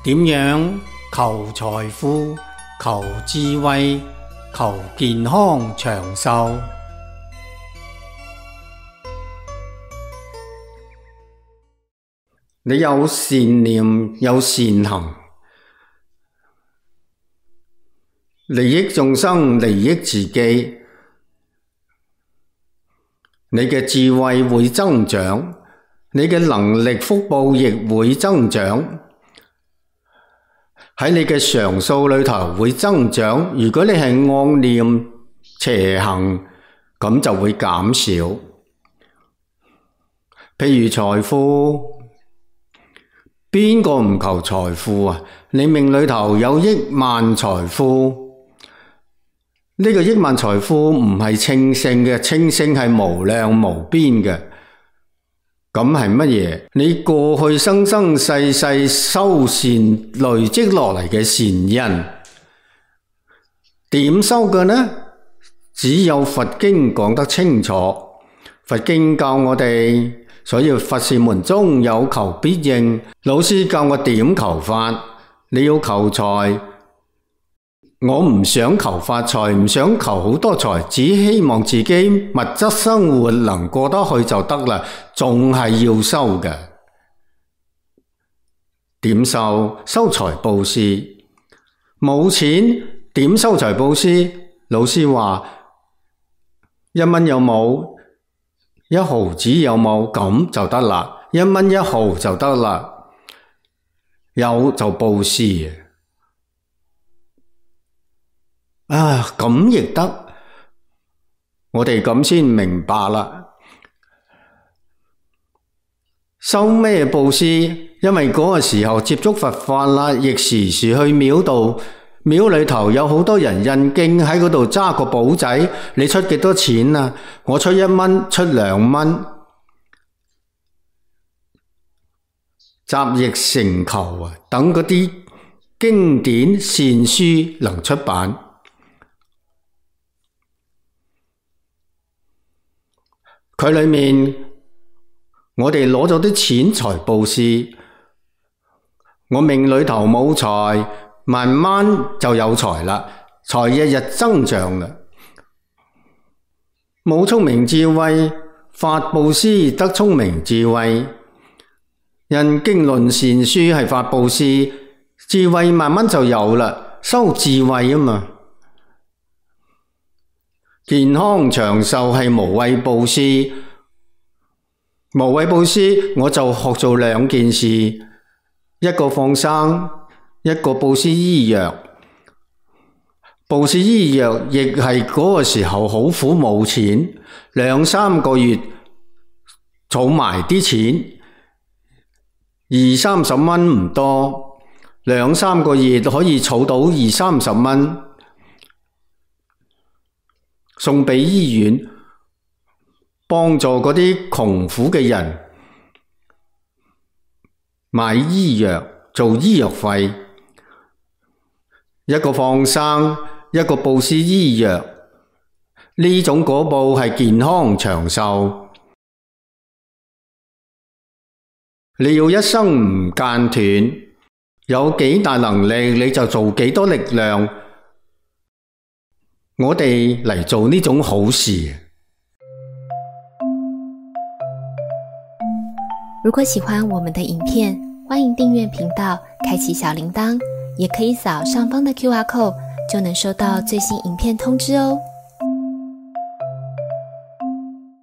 點樣求財富、求智慧、求健康長壽？你有善念，有善行，利益眾生，利益自己，你嘅智慧會增長，你嘅能力福報亦會增長，喺你嘅常數裏頭會增長。如果你係惡念邪行，咁就會減少。譬如財富，邊個唔求財富啊？你命裏頭有億萬財富，呢個億萬財富唔係稱性嘅，稱性係無量無邊嘅。咁係乜嘢？你過去生生世世修善累積落嚟嘅善因，點修嘅呢？只有佛經講得清楚。佛經教我哋，所以佛事門中有求必應。老師教我點求法，你要求財，我唔想求發財，唔想求好多財，只希望自己物質生活能過得去就得啦，仲係要修嘅。點修？修財布施。冇錢點修財布施？老師話1蚊有冇？1毫子有冇？咁就得啦，1蚊1毫就得啦，有就布施。咁亦得，我哋咁先明白啦。修咩布施？因為嗰個時候接觸佛法啦，亦時時去廟度，廟裏頭有好多人印經，喺嗰度揸個簿仔，你出幾多錢啊？我出1蚊，出2蚊，集腋成裘啊！等嗰啲經典善書能出版。佢裏面我哋攞咗啲錢財布施，我命裏頭冇財，慢慢就有財啦，財日日增長啦。冇聰明智慧，法布施得聰明智慧，印經論善書係法布施，智慧慢慢就有啦，修智慧啊嘛。健康長壽係無畏布施，無畏布施我就學做2件事，一個放生，一個布施醫藥。布施醫藥亦係嗰個時候好苦冇錢，2-3個月儲埋啲錢，20-30蚊唔多，2-3個月可以儲到20-30蚊。送俾醫院，幫助嗰啲窮苦嘅人買醫藥，做醫藥費。一個放生，一個布施醫藥，呢種果報係健康長壽。你要一生唔間斷，有幾大能力你就做幾多力量。我哋嚟做呢種好事。如果喜歡我們的影片，歡迎訂閱頻道，開啟小鈴鐺，也可以掃上方的QR code，就能收到最新影片通知哦。